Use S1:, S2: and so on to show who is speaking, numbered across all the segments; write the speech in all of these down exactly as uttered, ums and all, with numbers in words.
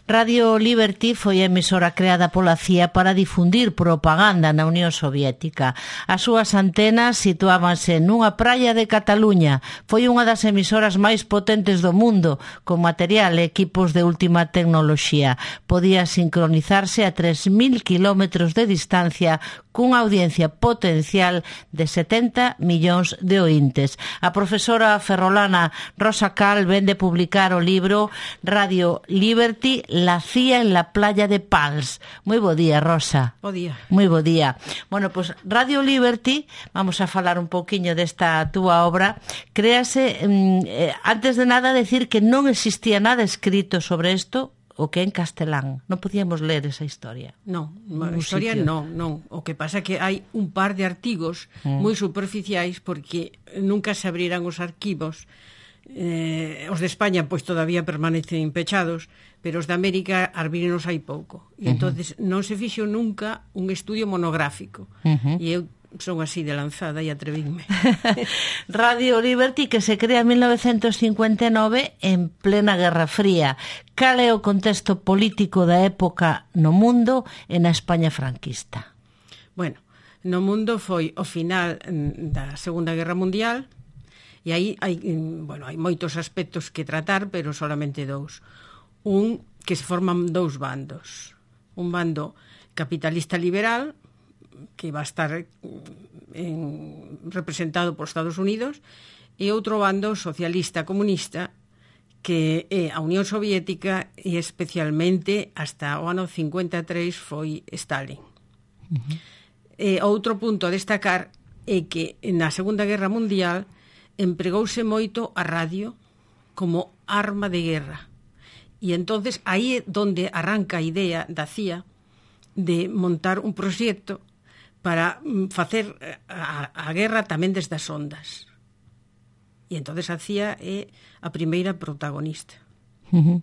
S1: Radio Liberty foi a emisora creada pola C I A para difundir propaganda na Unión Soviética. As súas antenas situábanse nunha praia de Cataluña. Foi unha das emisoras máis potentes do mundo, con material e equipos de última tecnoloxía. Podía sincronizarse a tres mil kilómetros de distancia cunha audiencia potencial de setenta millóns de oíntes. A profesora ferrolana Rosa Cal vende publicar o libro Radio Liberty, la C I A en la playa de Pals. Moi bo día, Rosa.
S2: Bo día.
S1: Moi bo día. Bueno, pois pues, Radio Liberty, vamos a falar un pouquiño desta túa obra. Créase, eh, antes de nada, decir que non existía nada escrito sobre isto, o que en castelán. Non podíamos ler esa historia.
S2: Non, a historia non, non. O que pasa é que hai un par de artigos mm. moi superficiais porque nunca se abriran os arquivos. Eh, os de España pois todavía permanecen pechados, pero os de América abrirenos hai pouco. E uh -huh. entonces non se fixo nunca un estudio monográfico. Uh -huh. E eu son así de lanzada e atrevinme.
S1: Radio Liberty, que se crea en mil novecentos cincuenta e nove en plena Guerra Fría. Cal é o contexto político da época no mundo e na España franquista?
S2: Bueno, no mundo foi o final da Segunda Guerra Mundial e aí hai, bueno, hai moitos aspectos que tratar, pero solamente dous. Un, que se forman dous bandos. Un bando capitalista liberal, que va a estar en, representado por Estados Unidos, e outro bando socialista comunista, que é a Unión Soviética e especialmente hasta o ano cincuenta e tres foi Stalin. Uh -huh. E outro punto a destacar é que na Segunda Guerra Mundial empregouse moito a radio como arma de guerra. E entonces aí é onde arranca a idea da C I A de montar un proxecto para facer a, a guerra tamén desde as ondas. E entonces a C I A é a primeira protagonista.
S1: Uh -huh.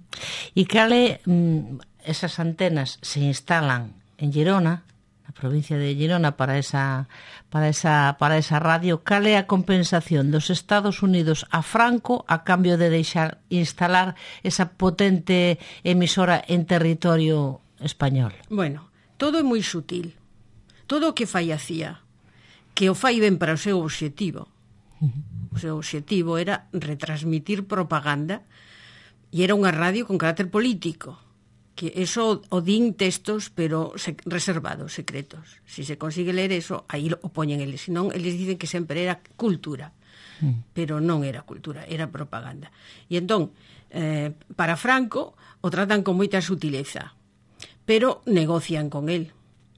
S1: E cale, mm, esas antenas se instalan en Girona, na provincia de Girona, para esa, para esa, para esa radio. Cale a compensación dos Estados Unidos a Franco a cambio de deixar instalar esa potente emisora en territorio español?
S2: Bueno, todo é moi sutil. Todo o que fai a C I A, que o fai ben para o seu obxectivo. O seu obxectivo era retransmitir propaganda e era unha radio con carácter político, que eso o din textos, pero se, reservados, secretos. Si se consigue ler eso, aí o poñen eles. Senón, eles dicen que sempre era cultura, pero non era cultura, era propaganda. E entón, eh, para Franco, o tratan con moita sutileza, pero negocian con el.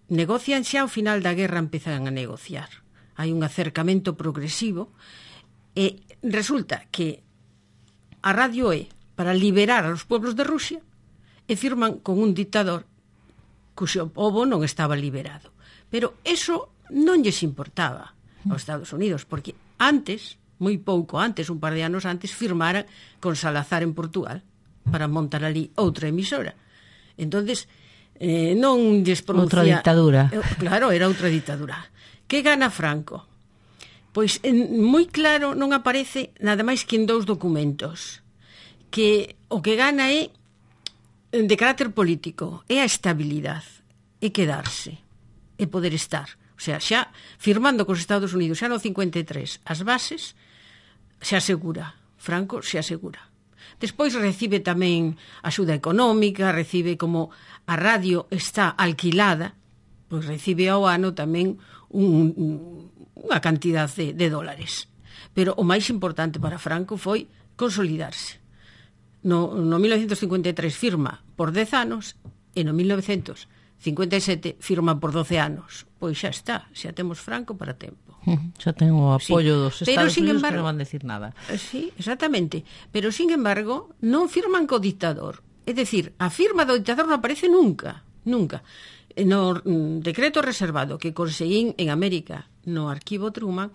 S2: Negocian xa ao final da guerra, empezan a negociar. Hai un acercamento progresivo e resulta que a radio é para liberar a los pueblos de Rusia e firman con un dictador cuxo pobo non estaba liberado. Pero eso non lles importaba aos Estados Unidos, porque antes, moi pouco antes, un par de anos antes, firmara con Salazar en Portugal para montar ali outra emisora. Entonces, Eh, non lles pronuncia...
S1: Outra dictadura.
S2: Eh, claro, era outra dictadura. Que gana Franco? Pois en, moi claro non aparece nada máis que en dous documentos. Que o que gana é de carácter político, é a estabilidade, é quedarse, é poder estar. O sea, xa firmando cos Estados Unidos xa no cincuenta e tres as bases, se asegura. Franco se asegura. Despois recibe tamén axuda económica, recibe, como a radio está alquilada, pois recibe ao ano tamén un, un, unha cantidad de, de dólares. Pero o máis importante para Franco foi consolidarse. No, no mil novecentos cincuenta e tres firma por dez anos e no mil novecentos cincuenta e sete firma por doce anos. Pois xa está, xa temos Franco para tempo.
S1: Xa ten o apoio sí. dos Estados
S2: Pero,
S1: Unidos,
S2: embargo,
S1: que non van decir nada.
S2: Sí, exactamente. Pero, sin embargo, non firman co dictador. É dicir, a firma do dictador non aparece nunca, nunca. No decreto reservado que conseguín en América, no arquivo Truman,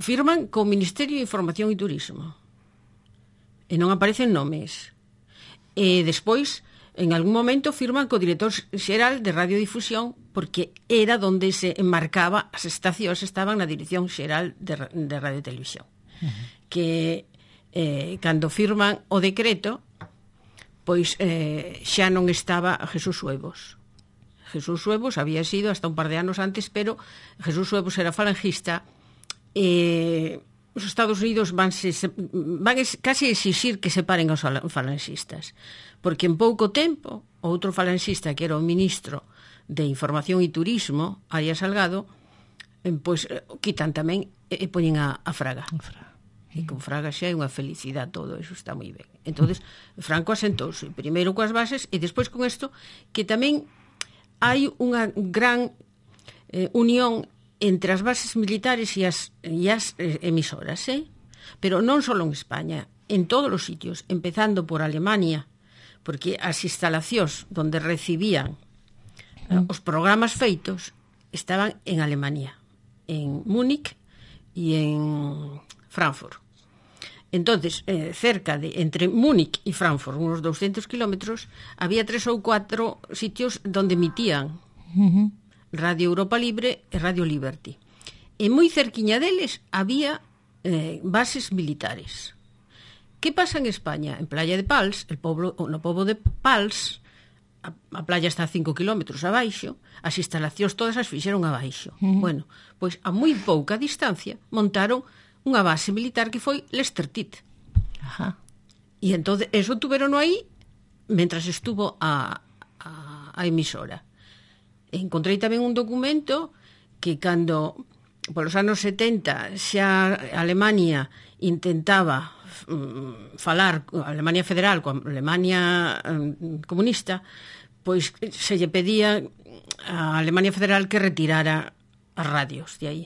S2: firman co Ministerio de Información e Turismo. E non aparecen nomes. E despois, en algún momento, firman co director xeral de radiodifusión, porque era donde se enmarcaba, as estacións estaban na Dirección Xeral de, de Radio e Televisión. Uh -huh. Que eh, cando firman o decreto, pois eh, xa non estaba Jesús Huevos. Jesús Huevos había sido hasta un par de anos antes, pero Jesús Huevos era falangista e os Estados Unidos vanse, van casi exixir que separen os falangistas, porque en pouco tempo outro falangista que era o ministro de Información e Turismo, Arias Salgado, pois quitan tamén e poñen a, a Fraga. Fraga. E con Fraga xa é unha felicidade todo, eso está moi ben. Entonces Franco asentouse primeiro coas bases e despois con isto, que tamén hai unha gran eh, unión entre as bases militares e as, e as eh, emisoras, eh? Pero non só en España, en todos os sitios, empezando por Alemania, porque as instalacións donde recibían eh, os programas feitos estaban en Alemania, en Múnich e en Frankfurt. Entonces, eh, cerca de, entre Múnich e Frankfurt, unos doscientos kilómetros, había tres ou cuatro sitios donde emitían uh-huh. Radio Europa Libre e Radio Liberty. E moi cerquiña deles había eh, bases militares. Que pasa en España? En Playa de Pals, el pobo, no pobo de Pals, a, a playa está a cinco kilómetros abaixo, as instalacións todas as fixeron abaixo. Uh-huh. Bueno, pois a moi pouca distancia montaron unha base militar que foi Lestertit. Ajá. E entón, eso tuveron aí mentras estuvo a, a, a emisora. Encontrei tamén un documento que cando polos anos setenta xa Alemania intentaba um, falar, a Alemania Federal coa Alemania um, comunista, pois se lle pedía a Alemania Federal que retirara as radios de aí.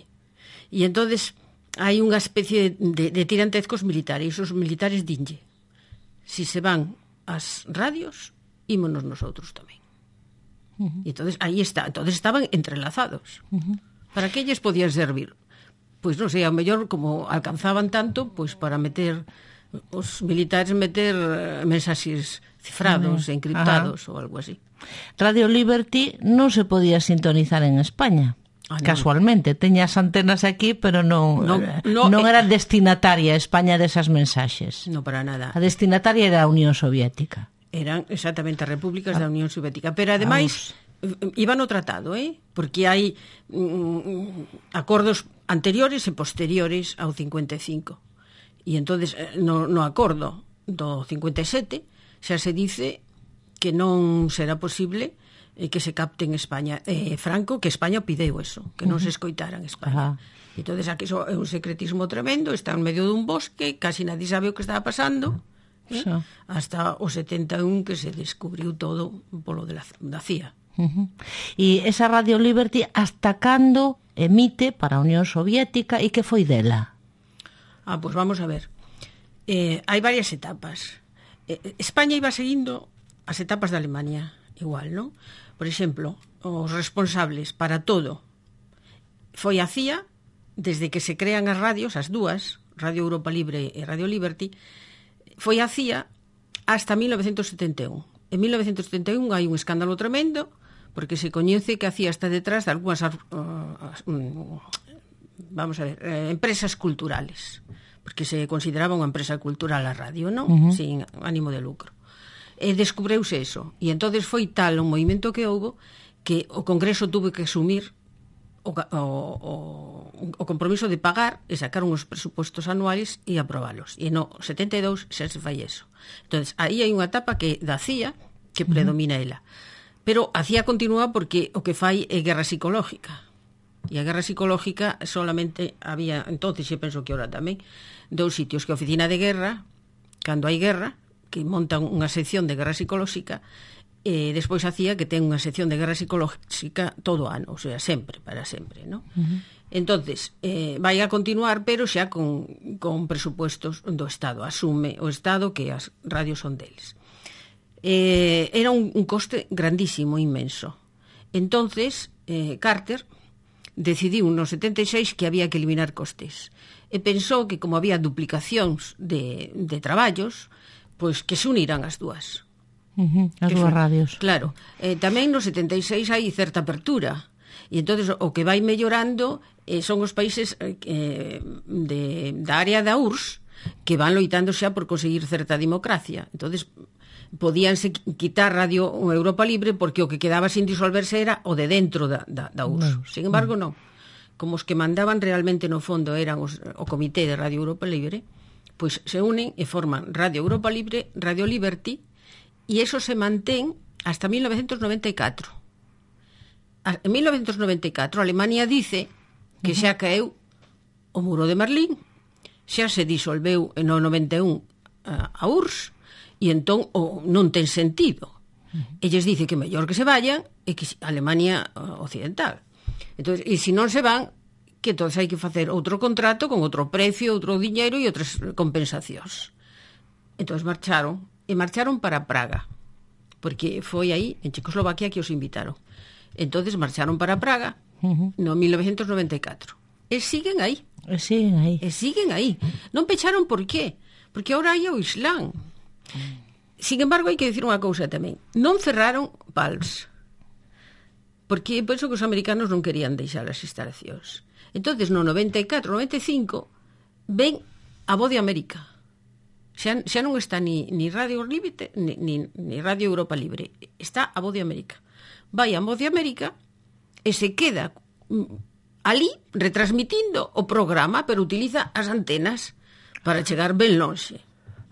S2: E entonces hai unha especie de, de tirantezcos militares, os militares dinlle, si se van as radios, ímonos nosotros tamén. Uh-huh. E entonces aí está, entonces estaban entrelazados. Uh-huh. Para que lles podían servir? Pois non sei, ao mellor como alcanzaban tanto, pois para meter os militares meter mensaxes cifrados, uh-huh. encriptados uh-huh. ou algo así.
S1: Radio Liberty non se podía sintonizar en España. Ah, no. Casualmente, teña as antenas aquí, pero non non, no, non era destinataria a España desas mensaxes.
S2: Non para nada.
S1: A destinataria era a Unión Soviética.
S2: Eran exactamente as repúblicas ah. da Unión Soviética, pero ademais Vamos. iban no tratado, eh? Porque hai mm, acordos anteriores e posteriores ao cincuenta e cinco. E entonces no, no acordo do cincuenta e sete xa se dice que non será posible eh, que se capte en España. Eh, Franco, que España pideu eso, que non uh-huh. se escoitara en España. Uh-huh. Entonces aquí so, é un secretismo tremendo, está en medio dun bosque, casi nadie sabe o que estaba pasando. ¿Eh? So. Hasta o setenta e un que se descubriu todo polo de la, da C I A.
S1: Uh-huh. E esa Radio Liberty hasta cando emite para a Unión Soviética e que foi dela?
S2: Ah, pois pues vamos a ver. Eh, hai varias etapas. Eh, España iba seguindo as etapas da Alemania, igual, non? Por exemplo, os responsables para todo foi a C I A, desde que se crean as radios, as dúas, Radio Europa Libre e Radio Liberty, foi a C I A hasta mil novecentos setenta e un. En mil novecentos setenta e un hai un escándalo tremendo porque se coñece que a C I A está detrás de algunhas uh, uh, vamos a ver, uh, empresas culturales, porque se consideraba unha empresa cultural a radio, non? Uh-huh. Sin ánimo de lucro. E descubreuse eso. E entonces foi tal o movimento que houbo que o Congreso tuvo que asumir o, o, o compromiso de pagar e sacar uns presupostos anuales e aprobalos. E no setenta e dous xa se fai eso. Entonces, aí hai unha etapa que da C I A que predomina ela. Pero a C I A continúa porque o que fai é guerra psicológica. E a guerra psicológica solamente había, entonces, e penso que ahora tamén, dous sitios, que a oficina de guerra, cando hai guerra, que montan unha sección de guerra psicológica, e despois a C I A que ten unha sección de guerra psicológica todo o ano, o sea, sempre, para sempre, ¿no? Uh-huh. Entonces, eh, vai a continuar, pero xa con, con presupuestos do Estado, asume o Estado que as radios son deles. Eh, era un, un coste grandísimo, inmenso. Entonces, eh, Carter decidiu no setenta e seis que había que eliminar costes, e pensou que como había duplicacións de, de traballos, pois que se uniran as dúas.
S1: Uh-huh, as dúas radios.
S2: Claro. Eh, tamén no setenta e seis hai certa apertura. E entonces o que vai mellorando eh, son os países eh, de, da área da U R S S que van loitando xa por conseguir certa democracia. Entonces podíanse quitar Radio Europa Libre porque o que quedaba sin disolverse era o de dentro da, da, da U R S S. Sin embargo, non. Como os que mandaban realmente no fondo eran os, o Comité de Radio Europa Libre, pois se unen e forman Radio Europa Libre, Radio Liberty, e eso se mantén hasta mil novecientos noventa e catro. En mil novecientos noventa e catro, Alemania dice que xa caeu o muro de Berlín, xa se disolveu en o noventa e un a U R S S, e entón o, non ten sentido. Elles dice que mellor que se vayan e que Alemania occidental. Entón, e se non se van, que entonces hai que facer outro contrato con outro precio, outro diñeiro e outras compensacións. Entón marcharon, e marcharon para Praga, porque foi aí, en Checoslovaquia, que os invitaron. Entón marcharon para Praga no mil novecientos noventa e catro. E siguen aí.
S1: E siguen aí.
S2: E siguen aí. Non pecharon por qué? Porque ahora hai o Islán. Sin embargo, hai que decir unha cousa tamén. Non cerraron Pals. Porque penso que os americanos non querían deixar as instalacións. Entonces, no noventa e catro, noventa e cinco, ven a Voz de América. Xa, xa non está ni, ni Radio Libre ni, ni, ni Radio Europa Libre. Está a Voz de América. Vai a Voz de América e se queda ali retransmitindo o programa, pero utiliza as antenas para chegar ben lonxe.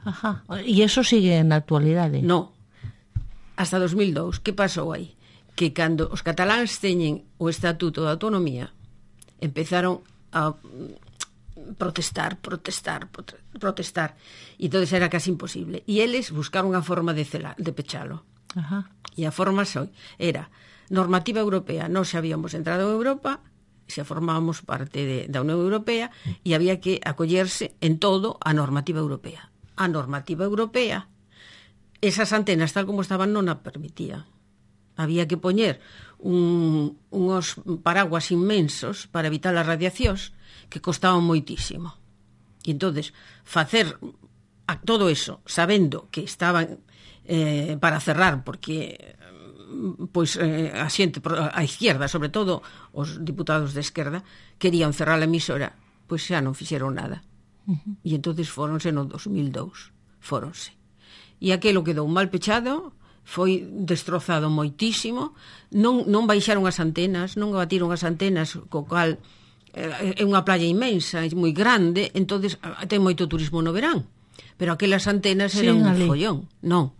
S1: Ajá. E eso sigue na actualidade?
S2: No. Hasta dos mil dous. Que pasou aí? Que cando os cataláns teñen o Estatuto de Autonomía, empezaron a protestar, protestar, protestar. E entonces era casi imposible. E eles buscaron unha forma de, celar, de pechalo.
S1: Ajá.
S2: E a forma soy, era normativa europea. Nós habíamos entrado en Europa, xa formábamos parte de, da Unión Europea, e había que acollerse en todo a normativa europea. A normativa europea, esas antenas tal como estaban non a permitía. Había que poñer un, unos paraguas inmensos para evitar as radiacións que costaban moitísimo. E entonces facer a todo eso sabendo que estaban eh, para cerrar, porque pois eh, a xente a izquierda, sobre todo os diputados de esquerda, querían cerrar a emisora, pois xa non fixeron nada. Uh-huh. E entonces fóronse no dos mil dous, fóronse. E aquelo quedou mal pechado, foi destrozado moitísimo, non, non baixaron as antenas, non batiron as antenas, co cal eh, é unha playa inmensa, é moi grande, entonces ten moito turismo no verán, pero aquelas antenas eran sí, un follón. Non,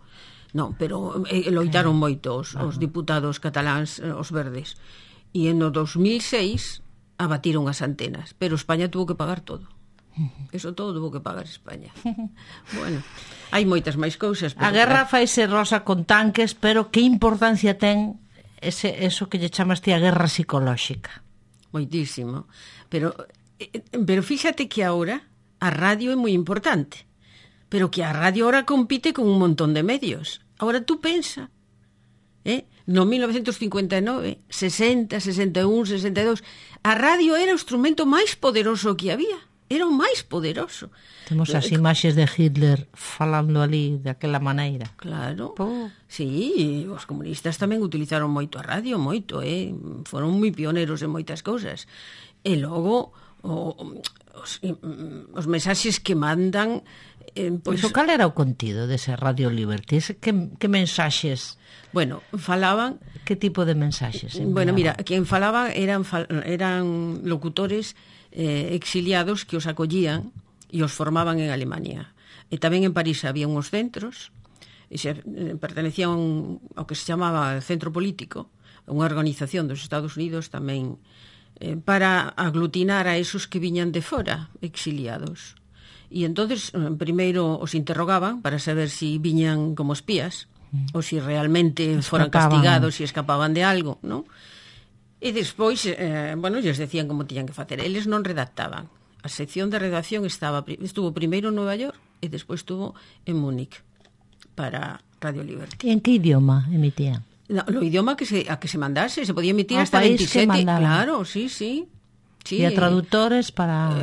S2: non, pero eh, loitaron moito os, os diputados cataláns, os verdes, e en o dos mil seis abatiron as antenas, pero España tuvo que pagar todo. Eso todo tuvo que pagar España. Bueno, hai moitas máis cousas,
S1: pero a guerra faise rosa con tanques, pero que importancia ten ese, eso que lle chamas ti a guerra psicolóxica?
S2: Moitísimo. Pero, pero fíxate que agora a radio é moi importante, pero que a radio ahora compite con un montón de medios. Agora tú pensa, eh? No mil novecientos cincuenta e nove, sesenta, sesenta e un, sesenta e dos, a radio era o instrumento máis poderoso que había. Era o máis poderoso.
S1: Temos as imaxes de Hitler falando ali daquela maneira.
S2: Claro. Oh. Sí, os comunistas tamén utilizaron moito a radio, moito, eh? Foron moi pioneros en moitas cousas. E logo o, os, os mensaxes que mandan eh, pois...
S1: Pero cal era o contido dese Radio Liberty? Que, que mensaxes?
S2: Bueno, falaban...
S1: Que tipo de mensaxes? Enviaban?
S2: Bueno, mira, quen falaba eran, eran locutores eh, exiliados que os acollían e os formaban en Alemania. E tamén en París había uns centros, e se, eh, pertenecían ao que se chamaba Centro Político, unha organización dos Estados Unidos tamén, eh, para aglutinar a esos que viñan de fora, exiliados. E entonces eh, primeiro os interrogaban para saber si viñan como espías, mm. ou si realmente escapaban. Foran castigados, si escapaban de algo, non? E despois, eh, bueno, lles decían como tiñan que facer. Eles non redactaban. A sección de redacción estaba estuvo primeiro en Nova York e despois estuvo en Múnich para Radio Liberty.
S1: E en que idioma emitían?
S2: No, no idioma que se, a que se mandase. Se podía emitir a hasta veintisiete. Claro, sí, sí. Sí,
S1: e a traductores para...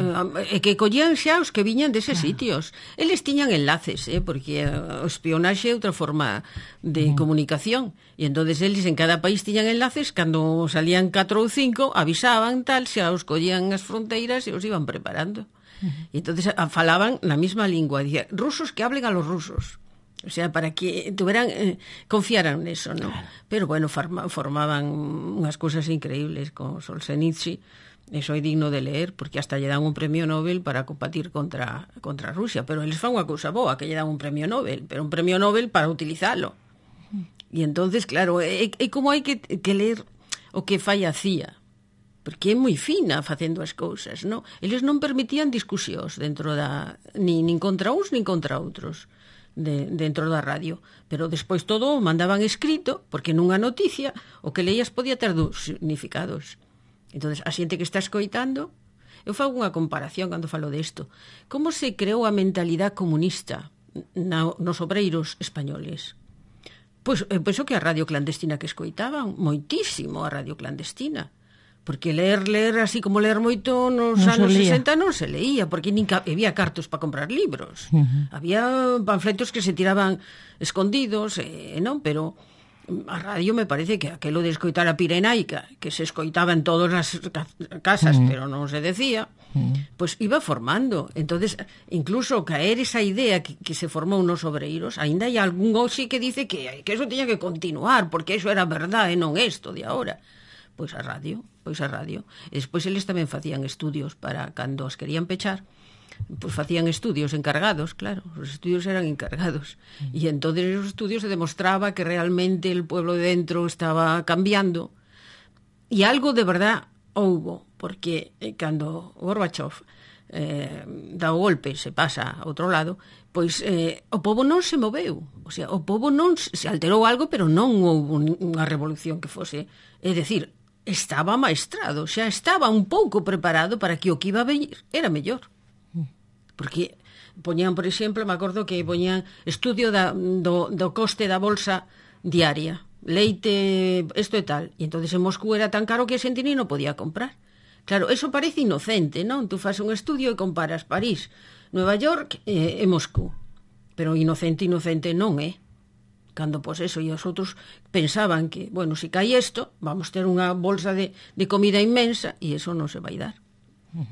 S2: E eh, que collían xa os que viñan deses claro. Sitios. Eles tiñan enlaces, eh, porque o espionaxe é outra forma de mm. comunicación. E entonces eles en cada país tiñan enlaces, cando salían catro ou cinco, avisaban tal, xa os collían as fronteiras e os iban preparando. Mm. E entonces falaban na mesma lingua. Dicía, rusos que hablen a los rusos. O sea, para que tuveran, eh, confiaran neso, ¿no? Pero bueno, forma, formaban unhas cousas increíbles con Solzhenitsyn. Eso é digno de leer, porque hasta lle dan un premio Nobel para combatir contra, contra Rusia. Pero eles fan unha cousa boa, que lle dan un premio Nobel, pero un premio Nobel para utilizalo. E entonces, claro, é, é como hai que, que ler o que fai a C I A, porque é moi fina facendo as cousas, non? Eles non permitían discusións dentro da... Nin, nin contra uns, nin contra outros. De, dentro da radio, pero despois todo o mandaban escrito, porque nunha noticia o que leías podía ter dos significados. Entonces, a xente que está escoitando, eu fago unha comparación cando falo desto. Como se creou a mentalidade comunista na, nos obreiros españoles? Pois eu penso que a radio clandestina que escoitaban, moitísimo a radio clandestina. Porque ler, ler, así como ler moito nos non anos sesenta non se leía, porque nin había cartos para comprar libros. Uh-huh. Había panfletos que se tiraban escondidos, eh, non? Pero a radio me parece que aquelo de escoitar a Pirenaica, que se escoitaba en todas as casas, uh-huh. pero non se decía, uh-huh. pues iba formando. Entonces, incluso caer esa idea que, que se formou nos obreiros, ainda hai algún hoxe que dice que, que eso tiña que continuar, porque eso era verdade, non isto de agora. Pois a radio, pois a radio. E despois eles tamén facían estudios para cando os querían pechar, pois facían estudios encargados, claro, os estudios eran encargados. Mm. E entonces esos estudios se demostraba que realmente el pueblo de dentro estaba cambiando. E algo de verdad houbo, porque cando Gorbachev eh, dá o golpe, se pasa a outro lado, pois eh, o pobo non se moveu. O sea, o pobo non se alterou algo, pero non houve unha revolución que fose, é dicir, estaba maestrado, xa estaba un pouco preparado para que o que iba a venir era mellor. Porque poñían, por exemplo, me acordo que poñían estudio da, do, do coste da bolsa diaria, leite, isto e tal, e entonces en Moscú era tan caro que a xente non podía comprar. Claro, eso parece inocente, non? Tú fas un estudio e comparas París, Nueva York e, e Moscú, pero inocente, inocente non é. Cando, pois, eso, e os outros pensaban que, bueno, se cae isto, vamos ter unha bolsa de, de comida inmensa, e eso non se vai dar.
S1: Uh-huh.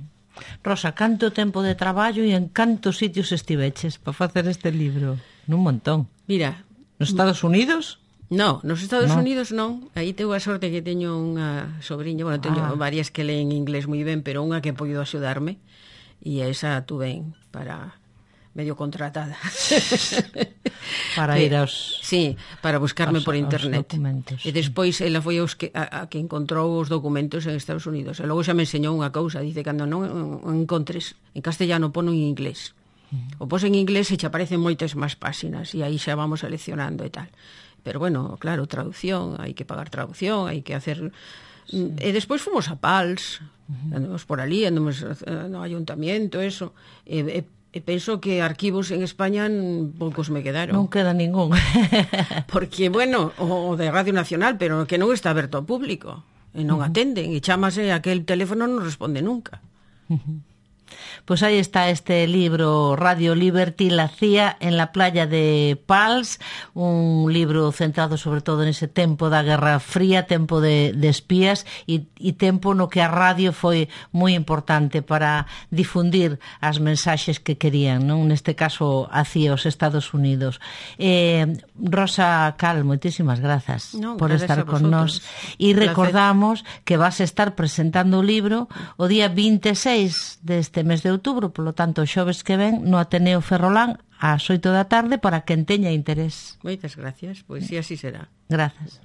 S1: Rosa, canto tempo de traballo e en cantos sitios estiveches para facer este libro? Nun montón.
S2: Mira...
S1: Nos Estados Unidos?
S2: No, nos Estados no. Unidos non. Aí tengo a sorte que teño unha sobrinha, bueno, teño ah. varias que leen inglés moi ben, pero unha que podido axudarme, e esa tuve para... medio contratada.
S1: Para ir aos...
S2: Sí, para buscarme
S1: aos,
S2: por internet.
S1: E
S2: despois ela foi aos que, a, a que encontrou os documentos en Estados Unidos. E logo xa me enseñou unha cousa, dice, cando non encontres en castellano, pono en inglés. Uh-huh. O pos en inglés e xa aparecen moitas máis páxinas, e aí xa vamos seleccionando e tal. Pero bueno, claro, traducción, hai que pagar traducción, hai que hacer... Sí. E despois fomos a Pals, uh-huh. andamos por ali, andamos no ayuntamiento, eso, e, e E penso que arquivos en España poucos me quedaron.
S1: Non queda ningún.
S2: Porque, bueno, o de Radio Nacional, pero que non está aberto ao público. E non uh-huh. atenden. E chámase aquel teléfono non responde nunca.
S1: Uh-huh. Pues aí está este libro, Radio Liberty, la C I A en la playa de Pals, un libro centrado sobre todo nese tempo da Guerra Fría, tempo de, de espías e, e tempo no que a radio foi moi importante para difundir as mensaxes que querían, non? Neste caso hacia os Estados Unidos. Eh, Rosa Cal, moitísimas grazas
S2: no,
S1: por estar con nós. E recordamos que vas a estar presentando o libro o día vinte e seis deste mes de outubro, polo tanto, o xoves que ven no Ateneo Ferrolán ás oito da tarde para quen teña interés.
S2: Moitas gracias, pois si así será.
S1: Grazas.